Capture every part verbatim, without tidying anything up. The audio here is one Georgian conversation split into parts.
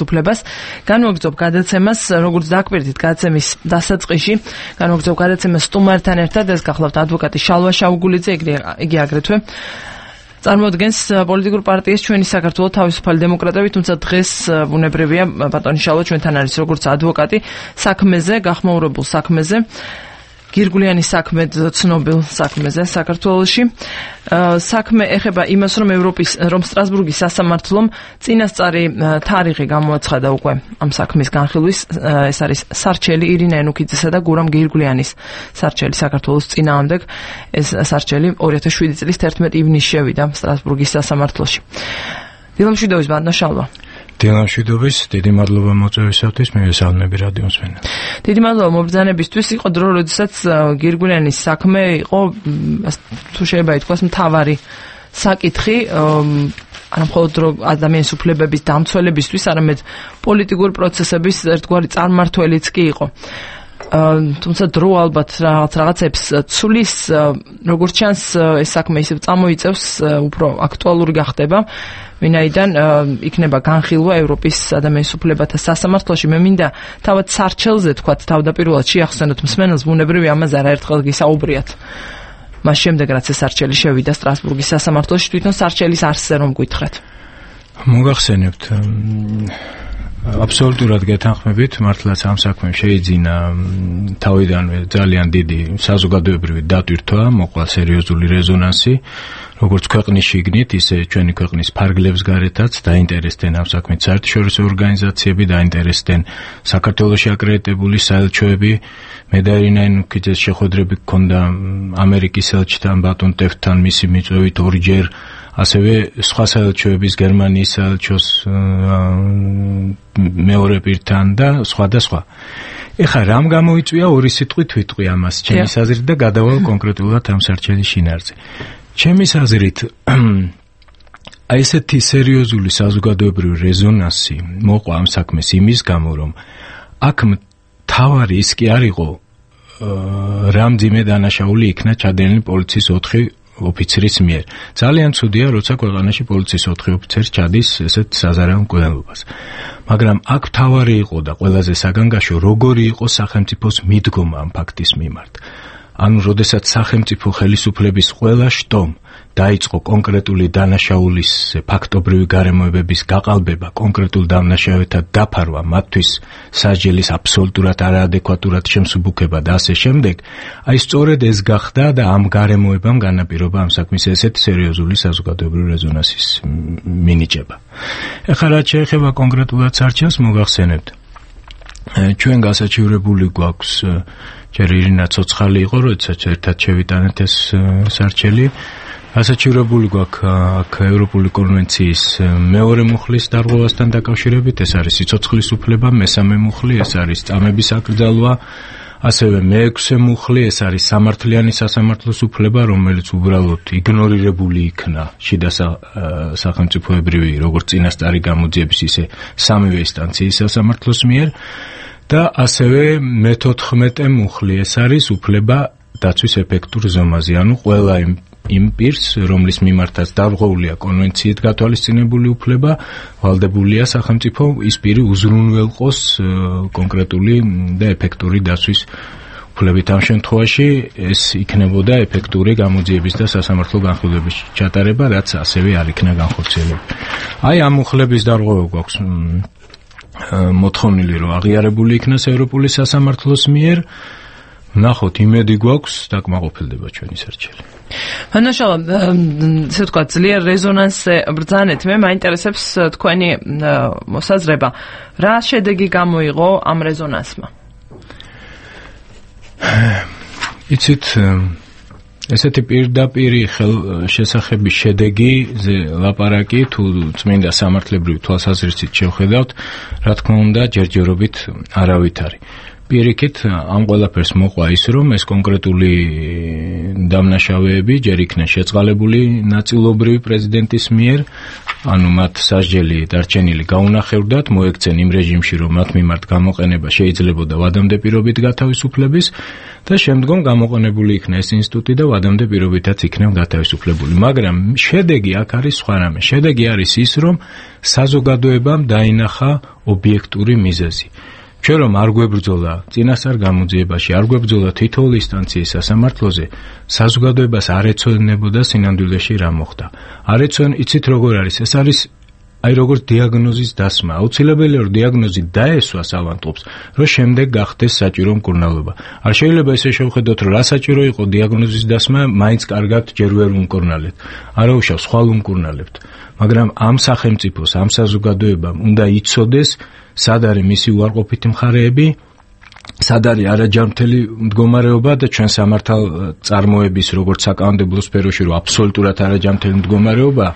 უფლებას. განვაგრძობ გადაცემას, როგორც დაკვირდით გადაცემის დასაწყისში, განვაგრძობ გადაცემას სტუმართან ერთად, ეს გახლავთ ადვოკატი შალვა შაუგულიძე, იგი აგრეთვე წარმოადგენს პოლიტიკურ პარტიას ჩვენი საქართველოს თავისუფალი დემოკრატები, თუმცა დღეს ბუნებრივია ბატონი შალვა ჩვენთან არის როგორც ადვოკატი საქმეზე, გახმაურებულ საქმეზე, გირგვლიანი საქმე ცნობილ საქმეზე საქართველოში. საქმე ეხება იმას, რომ ევროპის რომ სტრასბურგის სასამართლომ წინასწარი თარიღი გამოაცხადა უკვე ამ საქმის განხილვის. ეს არის სარჩელი ირინა ენუქიძესა და გურამ გირგვლიანის სარჩელი საქართველოს წინააღმდეგ. ეს სარჩელი ორი ათას შვიდი წლის თერთმეტი ივნისში შევიდა სტრასბურგის სასამართლოში. დილამშვიდობის ბატონო შალვა. დილამშვიდობის, დიდი მადლობა მოწვევისათვის, მივესალმები რადიო მსმენელს. დიდი მადლობა მობრძანებისთვის. იყო დრო, როდესაც გირგვლიანის საქმე იყო, თუ შეიძლება ითქვას, მთავარი საკითხი, არა მხოლოდ ადამიანის უფლებების დამცველებისთვის, არამედ პოლიტიკური პროცესების ერთგვარი წარმმართველიც კი იყო. თუმცა დრო ალბათ რაღაც რაღაცებს ცulis, როგორც ჩანს, ეს საქმე ისევ წამოიწევს, უფრო აქტუალური გახდება. ვინაიდან იქნება განხილვა ევროპის ადამიანის უფლებათა სასამართლოში. მე მინდა თავად სარჩელზე თქვათ თავდაპირველად შეახსენოთ მსმენელს, ბუნებრივი ამაზე არაერთხელ გისაუბრიათ. მას შემდეგ რაც ეს სარჩელი შევიდა სტრასბურგის სასამართლოში, თვითონ სარჩელის არსზე რომ გითხრათ. მოგახსენებთ, აბსოლუტურად გეთანხმებით, მართლაც ამ საქმემ შეიძინა თავიდანვე ძალიან დიდი საზოგადოებრივი დატვირთვა, მოყვა სერიოზული რეზონანსი, როგორც ქვეყნის შიგნით, ისე ჩვენი ქვეყნის ფარგლებს გარეთაც დაინტერესდნენ ამ საქმით საერთაშორისო ორგანიზაციები, დაინტერესდნენ საქართველოში აკრედიტებული საელჩოები. მე და ირინა ენუქიძეს შეხვედრები გქონდა ამერიკის ელჩთან, ბატონ ტეფთან, მისი მიწვევით ორჯერ, ასევე სხვა საელჩოების, გერმანიის საელჩოს მეორე პირთან და სხვა და სხვა. ეხლა რამ გამოიწვია ორი სიტყვით ვიტყვი ამას, ჩემი აზრით და გადავალ კონკრეტულად ამ სარჩელის შინაარსზე. ჩემი აზრით, აი ესეთი სერიოზული საზოგადოებრივი რეზონანსი მოყვა ამ საქმეს იმის გამო, რომ აქ მთავარი ის კი არ იყო, რა მძიმე დანაშაული იქნა ჩადენილი პოლიციის ოთხი ოფიცრის მიერ. ძალიან ცუდია, როცა ქვეყანაში პოლიციის ოთხი ოფიცერი ჩადის ესეთ საზარელ მკვლელობას. მაგრამ აქ მთავარი იყო და ყველაზე საგანგაშო, როგორი იყო სახელმწიფოს მიდგომა ამ ფაქტის მიმართ. ანუ, როდესაც სახელმწიფო ხელისუფლების ყველა შტომ დაიწყო კონკრეტული დანაშაულის ფაქტობრივი გარემოებების გაყალბება, კონკრეტულ დამნაშავეთა დაფარვა, მათთვის სასჯელის აბსოლუტურად არაადეკვატურად შემსუბუქება და ასე შემდეგ, აი სწორედ ეს გახდა და ამ გარემოებამ განაპირობა ამ საქმის ესეთ სერიოზული საზოგადოებრივი რეზონანსის მინიჭება. ეხლა რაც შეეხება კონკრეტულად სარჩელს, მოგახსენებთ, ჩვენ გასაჩივრებული გვაქვს, ჯერ ირინა ცოცხალი იყო, როდესაც ერთად შევიტანეთ ეს სარჩელი. გასაჩივრებული გვაქვს აქ ევროპული კონვენციის მეორე მუხლის დარღვევასთან დაკავშირებით, ეს არის სიცოცხლის უფლება, მესამე მუხლი, ეს არის წამების აკრძალვა, ასევე მეექვსე მუხლი, ეს არის სამართლიანი სასამართლოს უფლება, რომელიც უბრალოდ იგნორირებული იქნა შიდა სახელმწიფოებრივი, როგორც წინასწარი გამოძიების, ისე სამივე ინსტანციის სასამართლოს მიერ. და ასევე მეთოთხმეტე მუხლი, ეს არის უფლება დაცვის ეფექტურ ზომაზე, ანუ ყველა იმ იმ პირს, რომლის მიმართაც დარღვეულია კონვენციით გათვალისწინებული უფლება, ვალდებულია სახელმწიფო ის პირი უზრუნველყოს კონკრეტული და ეფექტური დაცვის უფლებით. ამ შემთხვევაში ეს იქნებოდა ეფექტური გამოძიების და სასამართლო განხილვების ჩატარება, რაც ასევე არ იქნა განხორციელებული. აი ამ მუხლების დარღვევა გვაქვს მოთხოვნილი, რომ აღიარებული იქნას ევროპული სასამართლოს მიერ. ნახოთ, იმედი გვაქვს, დაკმაყოფილდება ჩვენი სარჩელი. მანაშალა, ესე ვთქვათ, ძლიერ რეზონანსზე ბრძანეთ. მე მაინტერესებს თქვენი მოსაზრება. რა შედეგი გამოიღო ამ რეზონანსმა? იცით, ესეთი პირდაპირი შესახების შედეგიზე ლაპარაკი, თუ წმინდა სამართლებრივი თვალსაზრისით შევხედავთ, რა თქმა უნდა, ჯერჯერობით არავით არის. პირიქით ამ ყველაფერს მოყვა ის, რომ ეს კონკრეტული დამნაშავეები ჯერ იქნა შეწყალებული ნაწილობრივ პრეზიდენტის მიერ, ანუ მათ სასჯელი დარჩენილი გაუნახევრდათ, მოექცენ იმ რეჟიმში, რომ მათ მიმართ გამოყენება შეიძლებოდა ვადამდე პირობით გათავისუფლების და შემდგომ გამოყენებული იქნა ეს ინსტიტუტი და ვადამდე პირობითაც იქნა გათავისუფლებული. მაგრამ შედეგი აქ არის სხვა რამე. შედეგი არის ის, რომ საზოგადოებამ დაინახა ობიექტური მიზეზი. ჩვენ რომ არ გვებრძოლა წინასწარ გამოძიებაში, არ გვებრძოლა თითოეული ინსტანციის სასამართლოზე, საზოგადოებას არ ეცვენებოდა სინამდვილეში რა მოხდა. არ ეცვენ, იცით როგორ არის? ეს არის აი როგორც დიაგნოზის დასმა. აუცილებელია რომ დიაგნოზი დაესვას ავანტყოფს, რომ შემდეგ გახდეს საჭირო მკურნალობა. არ შეიძლება ესე შევხედოთ, რომ რა საჭირო იყო დიაგნოზის დასმა, მაინც კარგად ჯერ ვერ უმკურნალებთ. არა უშავს, ხვალ უმკურნალებთ. მაგრამ ამ სახელმწიფოს, ამ საზოგადოებამ უნდა იცოდეს, სად არის მისი უარყოფითი მხარეები, სად არის არაჯანმრთელი მდგომარეობა და ჩვენ სამართალ წარმოების როგორც საკანონმდებლო სფეროში რომ აბსოლუტურად არაჯანმრთელი მდგომარეობა,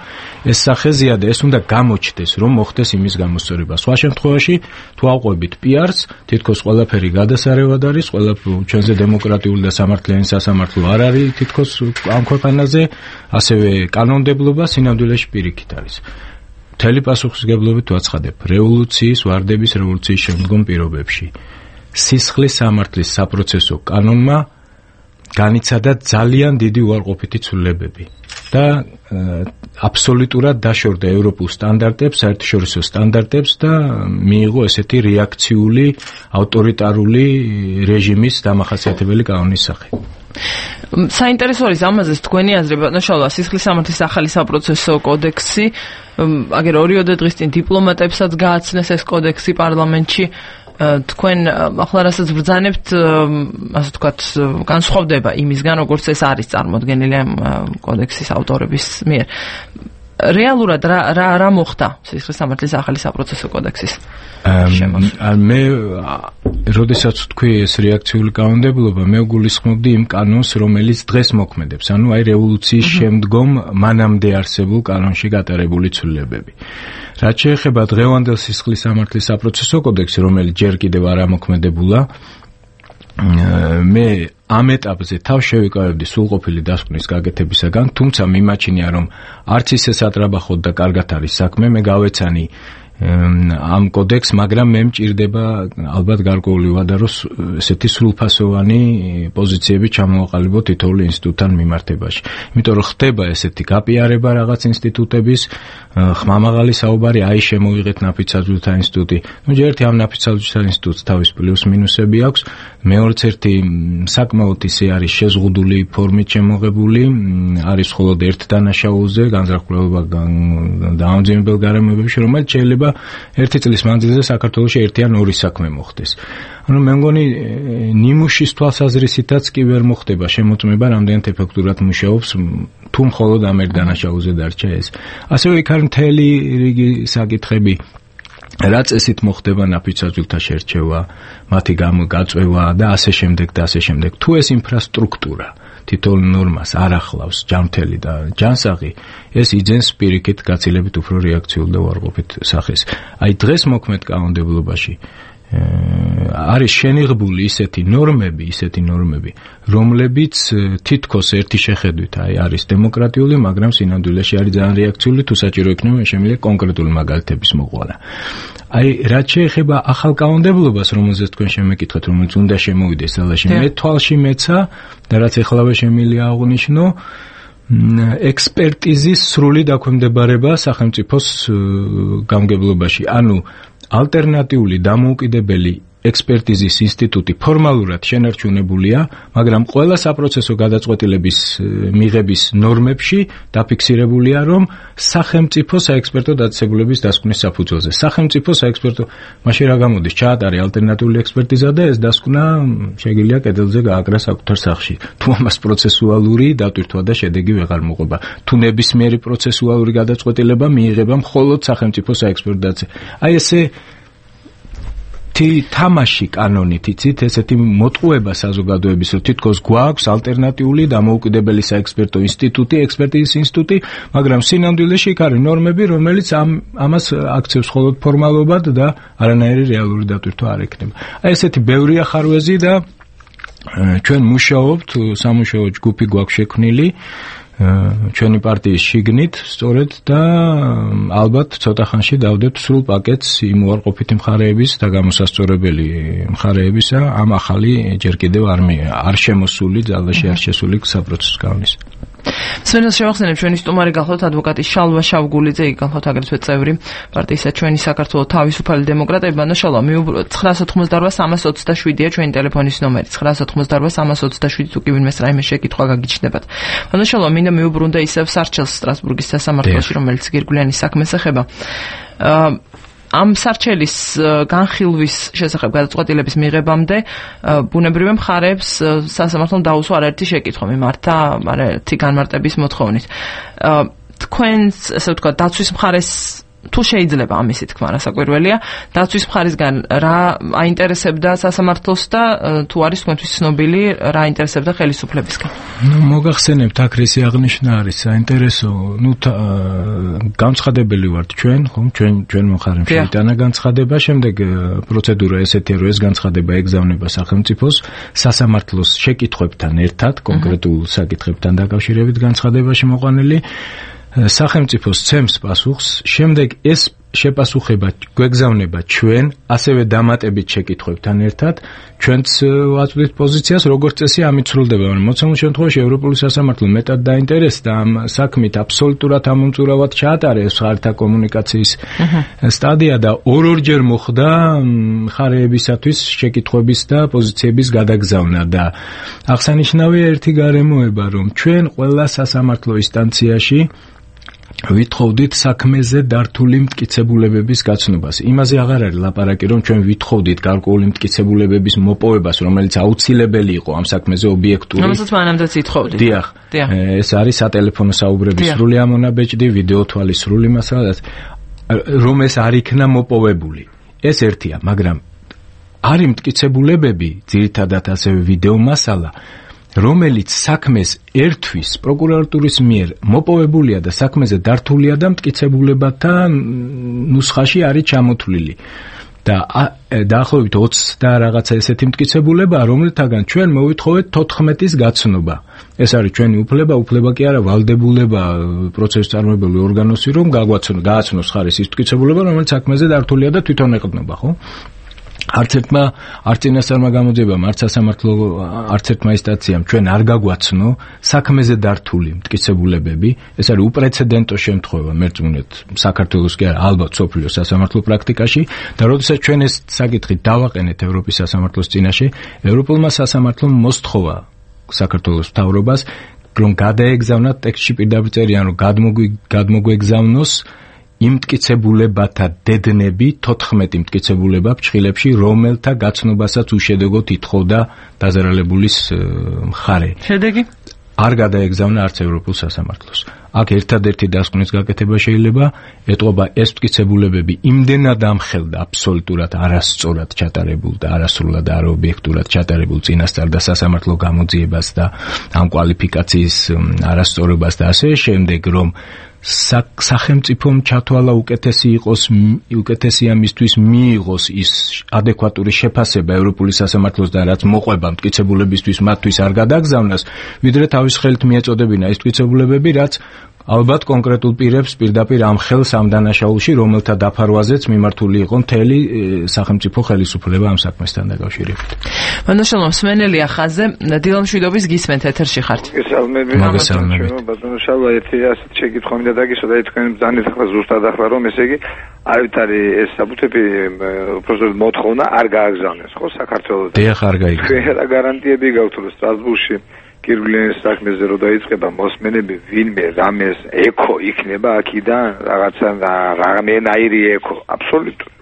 ეს სახეზია და ეს უნდა გამოჩნდეს, რომ მოხდეს იმის გამოსწორება. სხვა შემთხვევაში თუ ავყვებით პი-არს, თითქოს ყველაფერი გადასარევად არის, ყველაფერი ჩვენზე დემოკრატიული და სამართლიანი სასამართლო არ არის თითქოს ამ ქვეყანაზე, ასევე კანონმდებლობა სინამდვილეში პირიქით არის. მთელი პასუხისმგებლობით ვაცხადებ, რევოლუციის, ვარდების რევოლუციის შემდგომ პირობებში სისხლის სამართლის საპროცესო კანონმა განიცადა ძალიან დიდი უარყოფითი ცვლილებები და აბსოლუტურად დაშორდა ევროპულ სტანდარტებს, საერთაშორისო სტანდარტებს და მიიღო ესეთი რეაქციული ავტორიტარული რეჟიმის დამახასიათებელი კანონის სახე. საინტერესო არის ამაზე თქვენი აზრი, ბატონო შალვა, სისხლის სამართლის ახალი საპროცესო კოდექსი, აგერ ორიოდე დღის წინ დიპლომატებსაც გააცნეს ეს კოდექსი პარლამენტში. თქვენ ახლა რასაც ბრძანებთ, ასე ვთქვათ, განსხვავდება იმისგან, როგორც ეს არის წარმოდგენილი ამ კოდექსის ავტორების მიერ. რეალურად რა რა რა მოხდა სისხლის სამართლის ახალი საპროცესო კოდექსის შემოსვლით? მე როდესაც თქვი ეს რეაქციული კანონმდებლობა, მე გულისხმობდი იმ კანონს, რომელიც დღეს მოქმედებს, ანუ აი რევოლუციის შემდგომ მანამდე არსებულ კანონში გატარებული ცვლილებები. რაც შეეხება დღევანდელ სისხლის სამართლის საპროცესო კოდექსს, რომელიც ჯერ კიდევ არ ამოქმედებულა, მე ამ ეტაპზე თავ შევიკავებდი სრულყოფილი დასკვნის გაკეთებისაგან, თუმცა მიმაჩნია, რომ არც ისე სატრაბახოდ და კარგად არის საქმე, მე გავეცანი ამ კოდექს, მაგრამ მე მჭირდება ალბათ გარკვეული ვადა, რომ ესეთი სრულფასოვანი პოზიციები ჩამოვაყალიბო თითოეული ინსტიტუტთან მიმართებაში. იმიტომ რომ ხდება ესეთი გაპიარება რაღაც ინსტიტუტების, ხმამაღალი საუბარი, აი შემოვიღეთ ნაფიც-საძვლთა ინსტიტუტი. ნუ ჯერ ერთი ამ ნაფიც-საძვლთა ინსტიტუტს თავის პლუს მინუსები აქვს, მეორეც ერთი საკმაოდ ისე არის შეზღუდული ფორმით შემოღებული, არის მხოლოდ ერთ დანაშაულზე განზრახულობა დაამძიმებელ გარემოებებში, რომელიც შეიძლება ერთი წლის მანძილზე საქართველოში ერთი ან ორი საქმე მოხდეს. ანუ მე მგონი ნიმუშის თვალსაზრისითაც კი ვერ მოხდება შემოწმება, რამდენად ეფექტურად მუშაობს, თუ მხოლოდ ამ ერთ დანაშაულზე დარჩა ეს. ასევე იქ არის მთელი რიგი საკითხები, რა წესით მოხდება ნაფიც-საძვლთა შერჩევა, მათი გაწევა და ასე შემდეგ და ასე შემდეგ. თუ ეს ინფრასტრუქტურა თითოეულ ნორმას არ ახლავს ჯანმრთელი და ჯანსაღი, ეს იძენს პირიქით გაცილებით უფრო რეაქციულ და უარყოფით სახეს. აი დღეს მოქმედ კანონმდებლობაში არის შენიღბული ისეთი ნორმები, ისეთი ნორმები, რომლებიც თითქოს ერთი შეხედვით აი არის დემოკრატიული, მაგრამ სინამდვილეში არის ძალიან რეაქციული, თუ საჭირო იქნება შემიძლია კონკრეტული მაგალითების მოყვანა. აი რაც შეეხება ახალ კანონმდებლობას, რომელზეც თქვენ შემეკითხეთ, რომელიც უნდა შემოვიდეს ძალაში, მე თვალში მეცა და რაც ეხლავე შემიძლია აღვნიშნო, ექსპერტიზის სრული დაქვემდებარება სახელმწიფოს გამგებლობაში. ანუ ალტერნატიული დამოუკიდებელი ექსპერტიზის ინსტიტუტი ფორმალურად შენარჩუნებულია, მაგრამ ყველა საპროცესო გადაწყვეტილების მიღების ნორმებში დაფიქსირებულია, რომ სახელმწიფო საექსპერტო დაწესებულების დასკვნის საფუძველზე. სახელმწიფო საექსპერტო მაშინ რა გამოდის, ჩაატარე ალტერნატიული ექსპერტიზა და ეს დასკვნა შეგიძლია კედელზე გააკრა საკუთარ სახლში. თუ ამას პროცესუალური დატვირთვა და შედეგი ვეღარ მოყვება. თუ ნებისმიერი პროცესუალური გადაწყვეტილება მიიღება მხოლოდ სახელმწიფო საექსპერტო დაწესებულების. აი ესე თამაში კანონით იცით ესეთი მოტყუება საზოგადოების რომ თითქოს გვაქვს ალტერნატიული დამოუკიდებელი საექსპერტო ინსტიტუტი, ექსპერტიზის ინსტიტუტი, მაგრამ სინამდვილეში იქ არის ნორმები, რომელიც ამ ამას აქცევს მხოლოდ ფორმალობად და არანაირი რეალური დატვირთვა არ ექნება. აი ესეთი ბევრია ხარვეზი და ჩვენ მუშაობთ, სამუშაო ჯგუფი გვაქვს შექმნილი ჩვენი პარტიის შიგნით, სწორედ და ალბათ ცოტა ხანში დავდეთ სრულ პაკეტს იმ უარყოფითი მხარეების და გამოსასწორებელი მხარეებისა ამ ახალი ჯერ კიდევ არ შემოსული, ძალაში არ შესული საპროცესო კანონის. სვენელს შევახსენებ ჩვენი სტუმარი გახლავთ ადვოკატი შალვა შავგულიძე, იგი გახლავთ აგრეთვე წევრი პარტიისა ჩვენი საქართველოს თავისუფალი დემოკრატები. ბანო შალვა, ცხრაას ოცდაოთხმოცდაორვა სამას ოცდაშვიდია ჩვენი ტელეფონის ნომერი. ცხრაას ოცდაოთხმოცდაორვა სამას ოცდაშვიდი თუ კი ვინმეს რაიმე შეკითხვა გაგიჩნდებათ. ბანო შალვა, მინდა მიუბრუნდე ისევ სარჩელს სტრასბურგის სასამართლოში, რომელიც გირგვლიანი საქმეს ეხება. ამ სარჩელის განხილვის შესახებ გადაწყვეტილების მიღებამდე ბუნებრივია მხარეებს სასამართლომ დაუსვა არაერთი შეკითხვა მიმართა არაერთი განმარტების მოთხოვნით. თქვენს, ასე ვთქვათ, დაცვის მხარეს თუ შეიძლება ამისი თქმა რასაკვირველია, დაცვის მხარისგან რა აინტერესებდა სასამართლოს და თუ არის თქვენთვის ცნობილი რა აინტერესებდა ხელისუფლებისგან? ნუ მოგახსენებთ აქრესი აღნიშვნა არის საინტერესო, ნუ განცხადებელი ვართ ჩვენ, ხომ, ჩვენ ჩვენ მხარემ შეიტანა განცხადება, შემდეგ პროცედურა ესეთია, რომ ეს განცხადება ეგზავნება სახელმწიფოს სასამართლოს შეკითხვებთან ერთად, კონკრეტულ საკითხებთან დაკავშირებით განცხადებაში მოყვანილი სახელმწიფო სცემს პასუხს, შემდეგ ეს შეპასუხება გვეგზავნება ჩვენ, ასევე დამატებით შეკითხვებთან ერთად, ჩვენც ვაწვდით პოზიციას, როგორც წესი ამით სრულდება, მაგრამ მოცემულ შემთხვევაში ევროპული სასამართლო მეტად დაინტერესდა ამ საქმით, აბსოლუტურად ამომწურავად ჩაატარეს ხართა კომუნიკაციის სტადია და ორ-ორჯერ მოხდა მხარეებისათვის შეკითხვების და პოზიციების გადაგზავნა და აღსანიშნავია ერთი გარემოება, რომ ჩვენ ყველა სასამართლო ინსტანციაში ვითხოვდით საქმეზე დართული მტკიცებულებების გაცნობას. იმაზე აღარ არის ლაპარაკი, რომ ჩვენ ვითხოვდით გარკვეული მტკიცებულებების მოპოვებას, რომელიც აუცილებელი იყო ამ საქმეზე ობიექტური. რომელსაც მანამდეც ითხოვდით. დიახ. ეს არის სატელეფონო საუბრების სრული ამონაბეჭდი, ვიდეო თვალის სრული მასალა, რომ ეს არ იქნა მოპოვებული. ეს ერთია, მაგრამ არის მტკიცებულებები, ძირითადად ასევე ვიდეო მასალა, რომელიც საქმეს ერთვის პროკურატურის მიერ მოპოვებულია და საქმეზე დართულია და მტკიცებულებათა ნუსხაში არის ჩამოთვლილი. და დაახლოებით ოცი და რაღაცა ესეთი მტკიცებულება, რომელთაგან ჩვენ მოვითხოვეთ თოთხმეტის გაცნობა. ეს არის ჩვენი უფლება, უფლება კი არა ვალდებულება პროცესის წარმომებელი ორგანოსი, რომ გააცნოს ხარეს ის მტკიცებულება, რომელიც საქმეზე დართულია და თვითონ ეყრდნობა, ხო? არც ერთმა არც წინასწარმა გამოძიებამ, არც სასამართლო, არც ერთმა ინსტანციამ ჩვენ არ გაგვაცნო საქმეზე დართული მტკიცებულებები. ეს არის უპრეცედენტო შემთხვევა, მერწმუნეთ, საქართველოს კი არა, ალბათ სოფლიოს სასამართლო პრაქტიკაში და როდესაც ჩვენ ეს საკითხი დავაყენეთ ევროპის სასამართლოს წინაშე, ევროპულმა სასამართლომ მოსთხოვა საქართველოს მთავრობას, რომ გადაეგზავნათ ტექსტში პირდაპირ წერიან, რომ გადმოგვეგზავნოს იმ მტკიცებულებათა დედნები, თოთხმეტი მტკიცებულება ფრჩხილებში, რომელთა გაცნობასაც უშედეგოდ ითხოვდა დაზარალებულის მხარე. შედეგი? არ გადაეგზავნა არც ევროპულ სასამართლოს. აქ ერთადერთი დასკვნის გაკეთება შეიძლება ეტყობა ეს მტკიცებულებები იმდენად ამხელდა აბსოლუტურად არასწორად ჩატარებულ და არასრულად და არაობიექტურად ჩატარებულ წინასწარ და სასამართლო გამოძიებას და ამ კვალიფიკაციის არასწორობას და ასე შემდეგ, რომ სახელმწიფომ ჩათვალა უკეთესი იყოს, უკეთესია მისთვის მიიღოს ის ადეკვატური შეფასება ევროპული სასამართლოს და რაც მოყვება მტკიცებულებისთვის მათთვის არ გადაგზავნას, ვიდრე თავის ხელით მიეწოდებინა ის მტკიცებულებები, რაც ალბათ კონკრეტულ პირებს პირდაპირ ამ ხელს ამ დანაშაულში, რომელთა დაფარვაზეც მიმართული იყო მთელი სახელმწიფო ხელისუფლება ამ საქმესთან დაკავშირებით. ბატონო სმენელია ხაზზე, დილამ შვიდობის გისმენთ ეთერში ხართ. მოგესალმებით. ბატონო შალვა, ერთი ასეთ შეკითხვა მინდა დაგისვა და თქვენ ბრძანეთ ახლა ზუსტად ახლა რომ ესე იგი აივით არის ეს საბუთები უბრალოდ მოთხოვნა არ გააგზავნეს ხო საქართველოს. დიახ, არ გაიგზავნა. რა გარანტიები გაქვთ რომ სტრასბურგში გირგვლიანის საქმეზე რო დაიწყება მოსმენები ვინმე რამეს ეკო იქნება აქიდან რაღაცა რამენაირი ეკო აბსოლუტურად.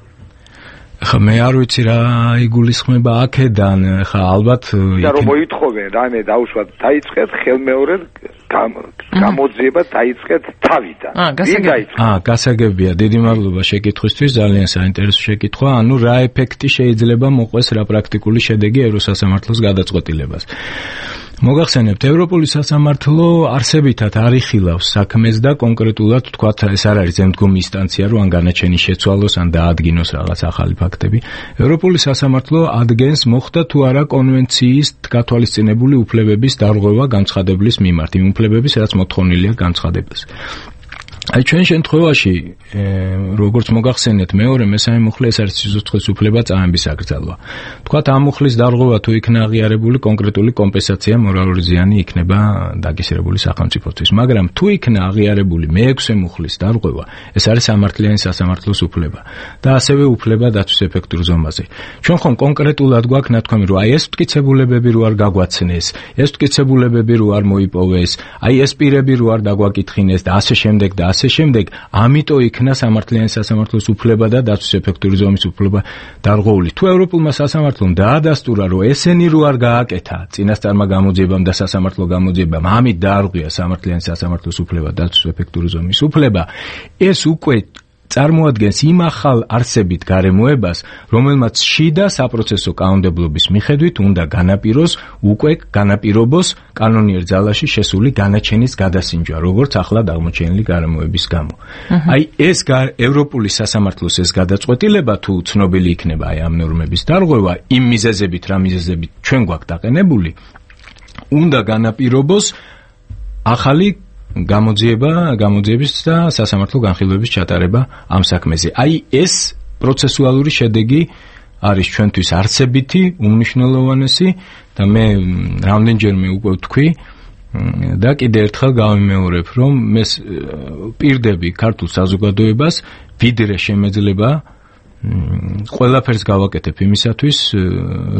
ხა მე არ ვიცი რა იგულისხმება აქედან, ხა ალბათ და რომ მოითხოვენ რამე დაუშვათ დაიწყეთ ხელმეორედ გამოძიება დაიწყეთ თავიდან. აა, გასაგებია, დიდი მადლობა შეკითხვისთვის, ძალიან საინტერესო შეკითხვა. ანუ რა ეფექტი შეიძლება მოყვეს, რა პრაქტიკული შედეგი ევროსასამართლოს გადაწყვეტილებას. მოგახსენებთ, ევროპული სასამართლო არსებითად არ იხილავს საქმეს და კონკრეტულად თქვათ, ეს არ არის ზემდგომი ინსტანცია, რომ ან განაჩენი შეცვალოს, ან დაადგინოს რაღაც ახალი ფაქტები. ევროპული სასამართლო ადგენს, მოხდა თუ არა კონვენციის გათვალისწინებული უფლებების დარღვევა განცხადებლის მიმართ, იმ უფლებების, რაც მოთხოვნილია განცხადებას. აი ჩვენ შემთხვევაში, როგორც მოგახსენეთ, მეორე, მესამე მუხლი ეს არის სიცოცხლის უფლება წამების აკრძალვა. თქვათ, ამ მუხლის დარღვევა თუ იქნა აღიარებული, კონკრეტული კომპენსაცია, მორალური ზიანი იქნება დაგისერებული სახელმწიფოსთვის. მაგრამ თუ იქნა აღიარებული მეექვსე მუხლის დარღვევა, ეს არის სამართლიანი სასამართლოს უფლება და ასევე უფლება დაცვის ეფექტურ ზომაზე. ჩვენ ხომ კონკრეტულად გვაქვს ნათქვამი, რომ აი ეს მტკიცებულებები რო არ გაგვაცნეს, ეს მტკიცებულებები რო არ მოიპოვეს, აი ეს პირები რო არ დაგვაკითხინეს და ასე შემდეგ და ასე შემდეგ, ამიტომ იქნა სამართლიანი სასამართლოს უფლება და დაცვის ეფექტური ზომის უფლება დარღვეული. თუ ევროპულმა სასამართლომ დაადასტურა, რომ ესენი რო არ გააკეთა წინასწარმა გამოძიებამ და სასამართლო გამოძიებამ, ამით დაარღვია სამართლიანი სასამართლოს უფლება და დაცვის ეფექტური ზომის უფლება, ეს უკვე წარმოადგენს იმ ახალ არსებით გარემოებას, რომელმაც შიდა საპროცესო კანონმდებლობის მიხედვით უნდა განაპიროს, უკვე განაპირობოს კანონიერ ძალაში შესული განაჩენის გადასინჯვა, როგორც ახლად აღმოჩენილი გარემოების გამო. აი ეს ევროპული სასამართლოს ეს გადაწყვეტილება თუ ცნობილი იქნება აი ამ ნორმების დარღვევა, იმ მიზეზებით, რა მიზეზებით ჩვენ გვაქვს დაყენებული, უნდა განაპირობოს ახალი გამოძიება, გამოძიების და სასამართლო განხილვების ჩატარება ამ საქმეზე. აი ეს პროცესუალური შედეგი არის ჩვენთვის არსებითი, უმნიშვნელოვანესი და მე რამდენჯერმე უკვე ვთქვი და კიდე ერთხელ გავიმეორებ, რომ მე პირდები ქართულ საზოგადოებას ვიდრე შემეძლება ყველაფერს გავაკეთებ იმისათვის,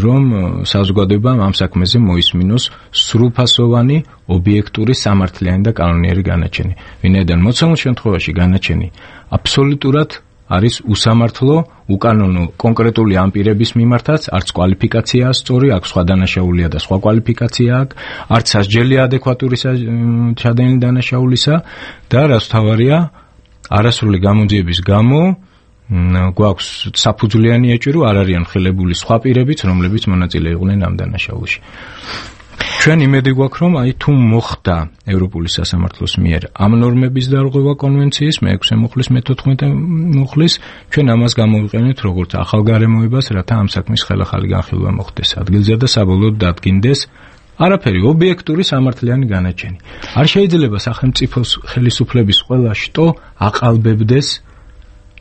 რომ საზოგადოებამ ამ საქმეზე მოისმინოს სრულფასოვანი, ობიექტური, სამართლიანი და კანონიერი განაჩენი. ვინაიდან მოცემულ შემთხვევაში განაჩენი აბსოლუტურად არის უსამართლო, უკანონო კონკრეტული ამ პირების მიმართაც, არც კვალიფიკაციაა სწორი, აქვს სხვა დანაშაულია და სხვა კვალიფიკაცია აქვს, არც სასჯელია ადეკვატური ჩადენილი დანაშაულისა და რაც თავარია, არასრული გამოძიების გამო გვაქვს საფუძვლიანი ეჭვი, არ არიან ხილებული სხვა პირებიც, რომლებიც მონაწილე იყვნენ ამ დანაშაულში. ჩვენ იმედი გვაქვს, რომ აი თუ მოხდა ევროპული სასამართლოს მიერ ამ ნორმების დარღვევა კონვენციის მეექვსე მუხლის მეთოთხმეტე მუხლის, ჩვენ ამას გამოვიყენებთ როგორც ახალ გარემოებას, რათა ამ საქმის ხელახალი განხილვა მოხდეს ადგილზე და საბოლოოდ დადგინდეს არაფერი ობიექტური სამართლიანი განაჩენი. არ შეიძლება სახელმწიფოს ხელისუფლების ყველა შტო აყალბებდეს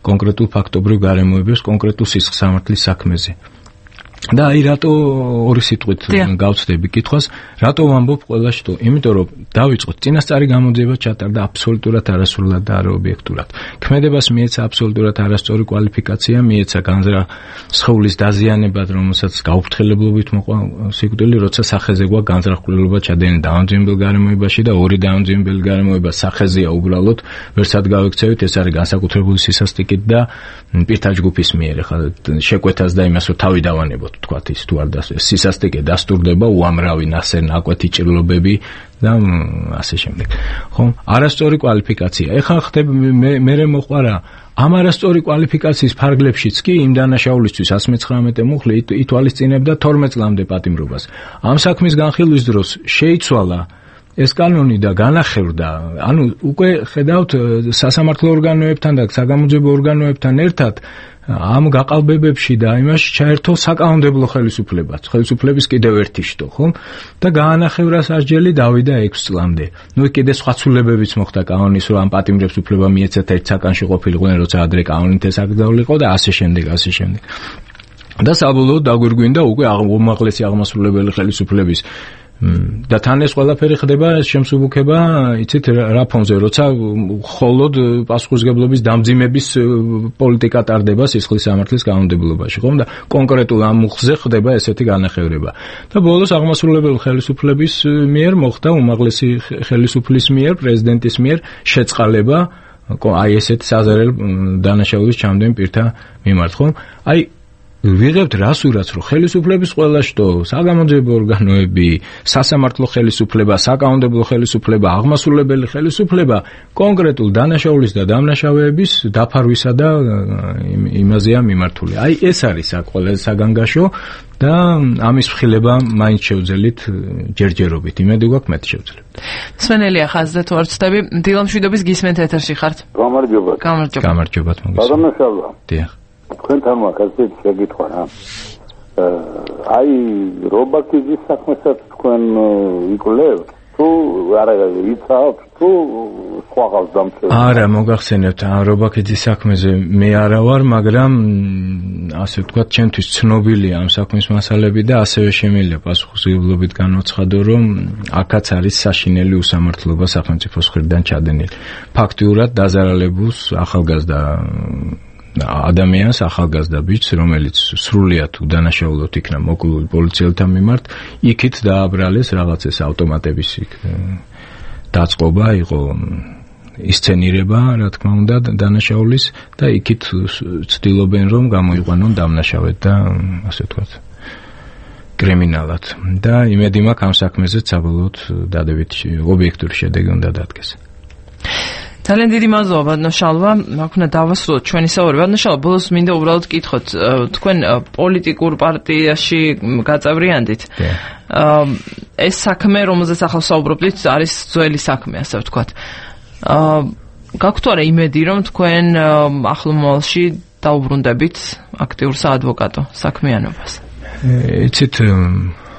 კონკრეტულ ფაქტობრივ გარემოებებს კონკრეტულ სისხლის სამართლის საქმეზე. და აი რატო ორი სიტყვით გავცდები კითხვას, რატო ვამბობ ყველა შტო? იმიტომ რომ დავიწყოთ, წინასწარი გამოძიება ჩატარდა აბსოლუტურად არასრულად და არაობიექტურად. ქმედებას მიეცა აბსოლუტურად არასწორი კვალიფიკაცია, მიეცა განზრახ სხეულის დაზიანებად, რომელსაც გაუფრთხილებლობით მოყვა სიკვდილი, როცა სახეზე გვაქვს განზრახულობა ჩადენილი დაავადებელ გარემოებაში და ორი დაავადებელ გარემოება სახეზეა უბრალოდ, ვერსად გავექცევით, ეს არის განსაკუთრებული სისასტიკით და პირთა ჯგუფის მიერ, ხა შეკვეთას და იმას რომ თავი დავანებოთ. თქვათ ის თუ არ და სისასტიკე დასტურდება, უამრავი ნასე ნაკვეთი ჭრილობები და ასე შემდეგ. ხო, არასწორი კვალიფიკაცია. ეხლა ხდება მე მე მოყვარა ამ არასწორი კვალიფიკაციის ფარგლებშიც კი იმ დანაშაულისთვის εκατს მეცხრამეტე მუხლი ითვალისწინებდა თორმეტ წლამდე პატიმრობას. ამ საქმის განხილვის დროს შეიცვალა ეს კანონი და განახევდა, ანუ უკვე ხედავთ სასამართლო ორგანოებთან და საგამოძიებო ორგანოებთან ერთად ამ გაყალბებებში და იმაში ჩაერთო საკანონმდებლო ხელისუფლებაც, ხელისუფლების კიდევ ერთი შტო, ხო? და გაანახევრა სასჯელი დავიდა ექვს წლამდე. ნუ კიდე სხვა ცვლილებებიც მოხდა კანონის, რომ ამ პატიმრებს უფლება მიეცათ ერთ საკანში ყოფილიყვნენ, როცა ადრე კანონით ეს აკრძალულიყო და ასე შემდეგ, ასე შემდეგ. და საბოლოოდ დაგვირგვინდა უკვე უმაღლესი აღმასრულებელი ხელისუფლების და თან ეს ყველაფერი ხდება შემსუბუქება, იცით რა ფონზე, როცა მხოლოდ პასუხისმგებლობის დამძიმების პოლიტიკა ტარდება სისხლის სამართლის კანონმდებლობაში, ხომ და კონკრეტულ ამ მუხლზე ხდება ესეთი განახევრება. და ბოლოს აღმასრულებელი ხელისუფლების მიერ მოხდა უმაღლესი ხელისუფლის მიერ, პრეზიდენტის მიერ შეწყალება აი ესეთ საზარელ დანაშაულის ჩამდენ პირთა მიმართ, ხომ? აი ვიღებთ რასურაც, რომ ხელისუფლების ყველა შტო, საგამოძიებო ორგანოები, სასამართლო ხელისუფლება, საკანონმდებლო ხელისუფლება, აღმასრულებელი ხელისუფლება კონკრეტულ დანაშაულის და დამნაშავეების დაფარვისა და იმაზეა მიმართული. აი ეს არის საკველე საგანგაშო და ამის მხილება მაინც შევძელით ჯერჯერობით. იმედი გვაქვს მეტ შევძლებთ. სვენელია ხაზზე თუ არ ვცდები, დილამშვიდობის გისმენთ ეთერში ხართ. გამარჯობა. გამარჯობა. გამარჯობა მოგესალმებით. ბადამაშალა. დიახ. თქვენთან მაგაზე შეგიტყვა რა. აი რობაქიძის საქმესაც თქვენ იკვლევთ თუ არა იცავთ თუ სხვა ხალხს დამწერთ? არა, მოგახსენებთ, რობაქიძის საქმეზე მე არა ვარ, მაგრამ ასე ვთქვათ, ჩემთვის ცნობილია ამ საქმის მასალები და ასევე შემიძლია პასუხისმგებლობით განვაცხადო, რომ აქაც არის საშინელი უსამართლობა სახელმწიფოს მხრიდან ჩადენილი. ფაქტიურად დაზარალებულს ახალგაზრდა ადამიანს, ახალგაზრდა ბიჭს, რომელიც სრულიად უდანაშაულოდ იქნა მოკლული პოლიციელთა მიმართ, იქით დააბრალეს რაღაცის ავტომატების დაწყობა, იყო ისცენირება, რა თქმა უნდა, დანაშაულის და იქით ცდილობენ, რომ გამოიყვანონ დამნაშავედ და ასე ვთქვათ, კრიმინალად. და იმედი მაქვს ამ საქმეზეც საბოლოოდ დადებით ობიექტური შედეგი უნდა დადგეს. ძალიან დიდი მადლობა ბადნაშალვა, აქ უნდა დავასრულოთ ჩვენი საუბარი. ბადნაშალვა, ბოლოს მინდა უბრალოდ გითხოთ, თქვენ პოლიტიკურ პარტიაში გაწევრიანდით. ეს საქმე, რომელზეც ახლა საუბრობთ, არის ძველი საქმე, ასე ვთქვათ. გაქვთ არა იმედი, რომ თქვენ ახლო მომავალში დაუბრუნდებით აქტიურ საადვოკატო საქმიანობას? იცით,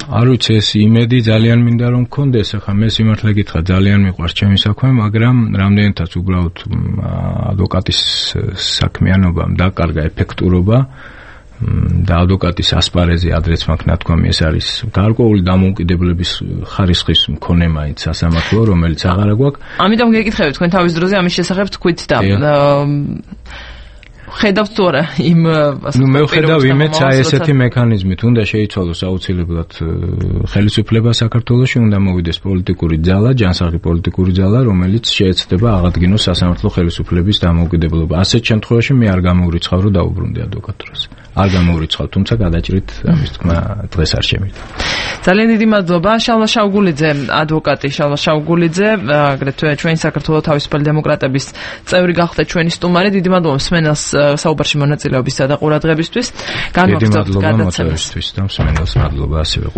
არ ვიცი, ეს იმედი ძალიან მინდა რომ მქონდეს, ახლა მე სიმართლე გითხრა, ძალიან მიყვარს ჩემი საქმე, მაგრამ რამდენადაც უბრალოდ ადვოკატის საქმიანობამ დაკარგა ეფექტურობა და ადვოკატის ასპარეზი ადრეც მაქვს ნათქვამი, ეს არის გარკვეული დამოუკიდებლების ხარისხის მქონე მაინც სასამართლო, რომელიც აღარა გვაქვს. ამიტომ გეკითხებით თქვენ თავის დროზე ამის შესახებ თქვით და ხედავთ თუ არა იმ ნუ მე ვხედავ იმეც აი ესეთი მექანიზმით უნდა შეიცვალოს აუცილებლად ხელისუფლება საქართველოში, უნდა მოვიდეს პოლიტიკური ძალა, ჯანსაღი პოლიტიკური ძალა, რომელიც შეეცდება აღადგინოს სასამართლო ხელისუფლების დამოუკიდებლობა. ასეთ შემთხვევაში მე არ გამოვრიცხავ, რომ დაუბრუნდე ადვოკატურას. არ გამოვრიცხავ, თუმცა გადაჭრით ამის თქმა დღეს არ შემიძლია. ძალიან დიდი მადლობა შალვა შავგულიძე, ადვოკატი შალვა შავგულიძე, აგრეთვე ჩვენი საქართველოს თავისუფალი დემოკრატების წევრი გახდა ჩვენი სტუმარი. დიდი მადლობა მსმენელს საუბარში მონაწილეობისა და ყურადღებისთვის. განვაგრძობთ გადაცემას. დიდი მადლობა მოსწრებისთვის და მსმენელს მადლობა ასევე.